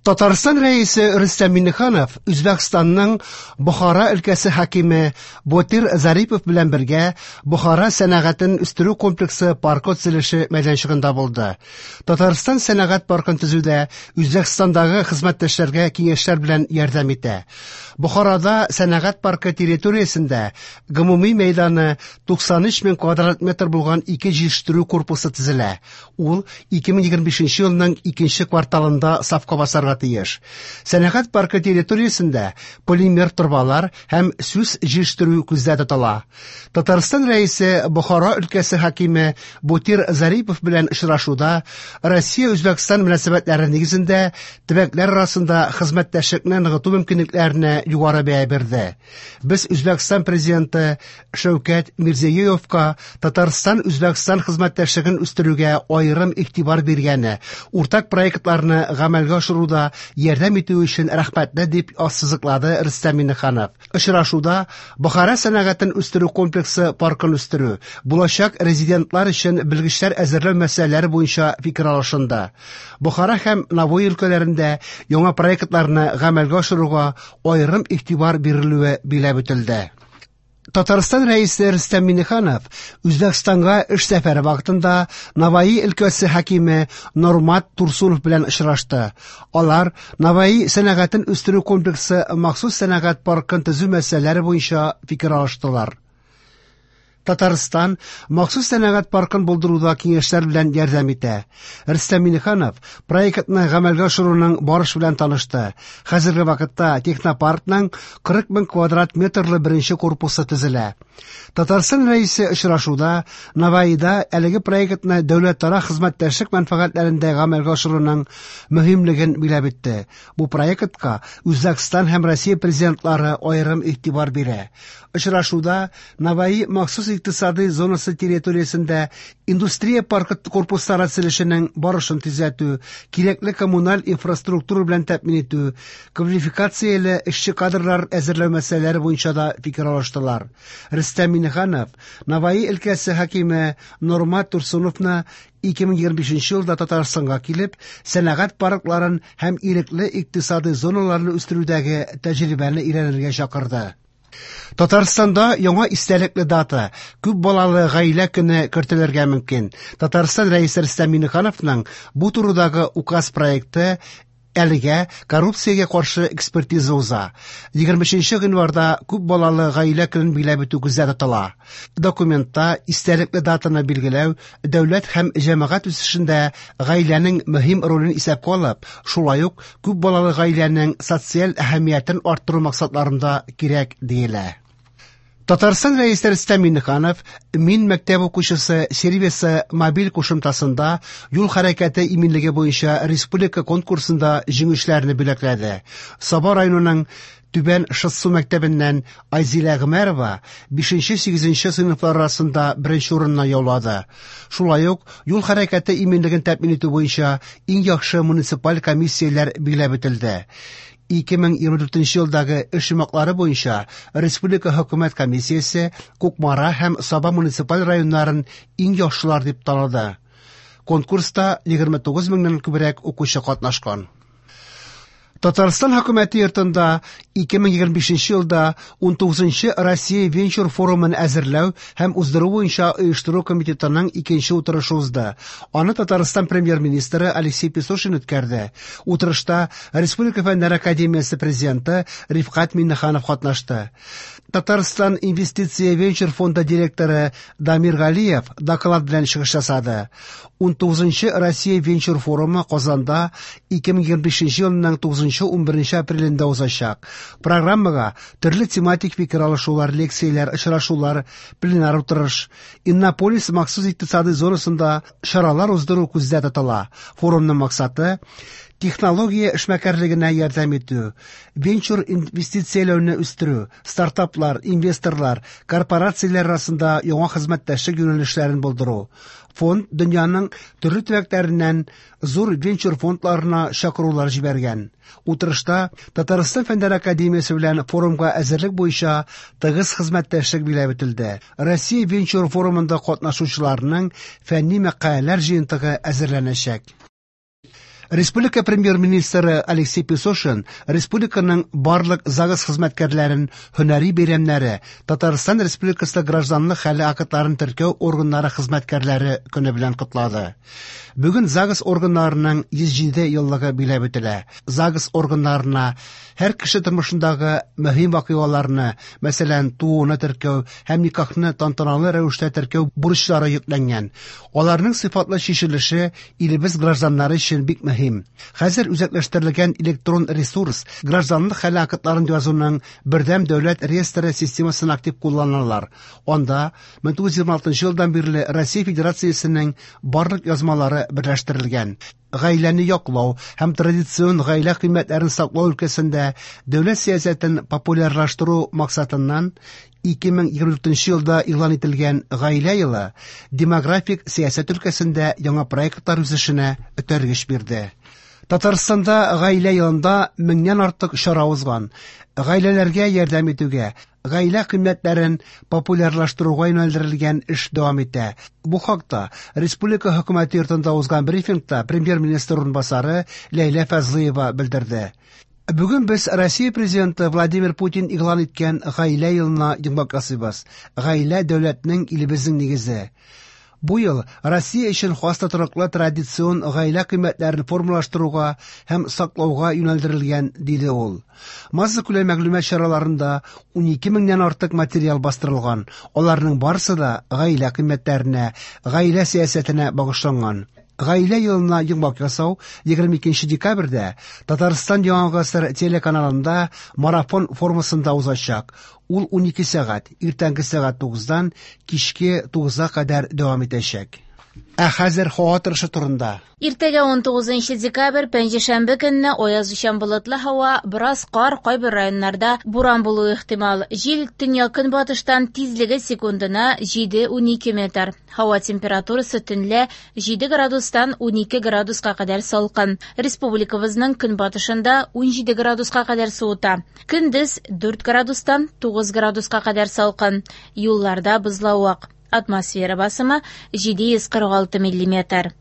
Татарстан Рәисе Рөстәм Миңнеханов Үзбәкстанның Бохара өлкәсе хакиме Ботир Зарипов белән бергә Бохара сәнәгатен үстерү комплексы паркы төзелеше мәйданчыгында булды. Татарстан сәнәгать паркын төзүдә Үзбәкстандагы хезмәттәшләргә киңәшләр белән ярдәм итә. Бохарада сәнәгать паркы территориясендә гомуми мәйданы 93 мең квадрат метр булган ике җитештерү корпусы төзелә. Ул 2025 елның икенче кварталында сафка басарга тиеш. Сәнәгать паркы территориясендә полимер торбалар һәм сүс җитештерү күздә тотыла. Татарстан Рәисе Бохара өлкәсе хакиме Ботир Зарипов белән очрашуда Россия-Үзбәкстан мөнәсәбәтләре нигезендә төбәкләр арасында хезмәттәшлекне ныгыту мөмкинлекләренә югары бәя бирде. Без Үзбәкстан президенты Шәүкәт Мирзиёевка Татарстан-Үзбәкстан хезмәттәшлеген үстерүгә аерым игътибар биргәне, уртак проектларны гамәлгә ашыруда ярдәм итүе өчен рәхмәтле, дип ассызыклады Рөстәм Миңнеханов. Очрашуда Бохара сәнәгатен үстерү комплексы паркын үстерү, булачак резидентлар өчен белгечләр әзерләү мәсьәләләре буенча фикер алышынды. Бохара һәм Навои өлкәләрендә яңа проектларны гамәлгә ашыруга аерым игътибар бирелүе билгеләп үтелде. Татарстан Рәисе Рөстәм Миңнеханов Үзбәкстанга эш сәфәре вакытында Навои өлкәсе хакиме Нормат Турсунов белән очрашты. Алар Навои сәнәгатен үстерү комплексы махсус сәнәгать паркын төзү мәсьәләләре буенча фикер алыштылар. Татарстан махсус сәнәгать паркын булдыруда киңәшләр белән ярдәм итә. Рөстәм Миңнеханов проектны гамәлгә ашыруның барышы белән танышты. Хәзерге вакытта технопаркның 40 мең квадрат метрлы беренче корпусы төзелә. Татарстан Рәисе очрашуда Навоида әлеге проектны дәүләтара хезмәттәшлек мәнфәгатьләрендә гамәлгә ашыруның мөһимлеген билгеләп үтте. Бу проектка Үзбәкстан һәм Россия президентлары аерым игътибар бирә. Очрашуда Навои махсус икътисади зонасы территориясендә индустрия паркы корпуслары төзелешенең барышын тизләтү, кирәкле коммуналь инфраструктура белән тәэмин итү, квалификацияле эшче кадрлар әзерләү мәсьәләләре буенча да фикер алыштылар. Рөстәм Миңнеханов Навои өлкәсе хакиме Нормат Турсуновны 2025 елда Татарстанга килеп, сәнәгать паркларын һәм ирекле икътисади зоналарны үстерүдәге тәҗрибәне өйрәнергә чакырды. Татарстанда яңа истәлекле дата күп балалы гаилә көне кертелергә мөмкин. Татарстан Рәисе Рөстәм Миңнехановның бу турыдагы указ проекты әлегә коррупциягә каршы экспертиза уза. 23 гыйнварда күп балалы гаилә көнен билгеләп үтү күздә тотыла. Документта истәлекле датаны билгеләү дәүләт һәм җәмәгать үсешендә гаиләнең мөһим ролен исәпкә алып, шулай ук күп балалы гаиләнең социаль әһәмиятен арттыру максатларында кирәк диелә. Татарстан Рәисе Рөстәм Миңнеханов Мин мәктәп укучысы сервисы мобиль кушымтасында юл хәрәкәте иминлеге буенча республика конкурсында җиңүчеләрне бүләкләде. Саба районының Түбән Шытсу мәктәбеннән Айзилә Гомәрова 5-8 сыйныфлар арасында беренче урынны яулады. Шулай ук юл хәрәкәте иминлеген тәэмин итү буенча иң яхшы муниципаль комиссияләр билгеләп үтелде. 2024 елдагы эш йомгаклары буенча Республика хөкүмәт комиссиясе Кукмара һәм Саба муниципаль районнарын иң яхшылар дип таныды. Конкурста 29 меңнән күбрәк укучы катнашкан. Татарстан хөкүмәте йортында 2025 елда 19 Россия венчур форумын әзерләү һәм уздыру буенча оештыру комитетының икенче утырышы узды. Аны Татарстан премьер-министры Алексей Песошин үткәрде. Утырышта Республика Фәннәр академиясе президенты Рифкать Миңнеханов катнашты. Татарстан инвестиция венчур фонды директоры Дамир Галиев доклад белән чыгыш ясады. 19 Россия венчур форумы Казанда 2025 елның 9-11 апрелендә узачак. Программага төрле тематик фикер алышулар, лекцияләр, очрашулар, пленар утырыш, Иннополис махсус икътисади зонасында чаралар уздыру күздә тотыла. Форумның максаты технология эшмәкәрлегенә ярдәм итү, венчур инвестицияләүне үстерү, стартаплар, инвесторлар, корпорацияләр арасында яңа хезмәттәшлек юнәлешләрен булдыру. Фонд дөньяның төрле төбәкләреннән зур венчур фондларына чакырулар җибәргән. Утырышта Татарстан Фәннәр академиясе белән форумга әзерлек буенча тыгыз хезмәттәшлек билгеләп үтелде. Россия венчур форумында катнашучыларның фәнни мәкаләләр җыентыгы әзерләнәчәк. Республика премьер-министры Алексей Песошин республиканың барлык ЗАГС хезмәткәрләрен һөнәри бәйрәмнәре, Татарстан Республикасы гражданлык хәле актларын теркәү органнары хезмәткәрләре көне белән котлады. Бүген ЗАГС органнарының 107 еллыгы биләп үтелә. ЗАГС органнарына һәр кеше тормышындагы мөһим вакыйгаларны, мәсәлән, тууны теркәү һәм никахны тантаналы рәвештә теркәү бурычлары йөкләнгән. Аларның сыйфатлы чишелеше илебез гражданнары өчен бик мөһим. Хәзер үзәкләштерелгән электрон ресурс гражданлык хәле актларын язуның бердәм дәүләт реестры системасын актив кулланалар. Анда 1926 елдан бирле Россия Федерациясенең барлык язмалары берләштерелгән. Гаиләне яклау һәм традицион гаилә кыйммәтләрен саклау өлкәсендә дәүләт сәясәтен популярлаштыру максатыннан 2024 елда игълан ителгән Гаилә елы демографик сәясәт өлкәсендә яңа проектлар үсешенә этәргеч бирде. Татарстанда Гаилә елында меңнән артык чара узган. Гаиләләргә ярдәм итүгә, гаилә кыйммәтләрен популярлаштыруга юнәлдерелгән эш дәвам итә. Бу хакта Республика хөкүмәте йортында узган брифингта премьер-министр урынбасары Ләйлә Фазлыева белдерде. Бүген без Россия президенты Владимир Путин игълан иткән Гаилә елына йомгак ясыйбыз. Гаилә дәүләтнең, илебезнең нигезе. Бу ел Россия өчен хас тотрыклы традицион гаилә кыйммәтләрен формалаштыруга һәм саклауга юнәлдерелгән, диде ул. Массакүләм мәгълүмат чараларында 12 меңнән артык материал бастырылган. Аларның барысы да гаилә кыйммәтләренә, гаилә сәясәтенә багышланган. Гаилә елына йомгак ясау 22 декабрьдә Татарстан Яңа гасыр телеканалында марафон формасында узачак. Ул 12 сәгать, иртәнге сәгать 9-дан кичке 9-га кадәр дәвам итәчәк. Ә хәзер һава торышы турында. Иртәгә 19 декабрь, пәнҗешәмбе көнне аязучан болытлы һава, бераз кар, кайбер районнарда буран булуы ихтимал. Җил төньяк-көнбатыштан, тизлеге секундына 7-12 метр. Һава температурасы төнлә 7 градустан 12 градуска кадәр салкын. Республикабызның көнбатышында 17 градуска кадәр суыта. Көндез 4 градустан 9 градуска кадәр салкын. Юлларда бозлавык. Атмосфера басымы 746 миллиметр.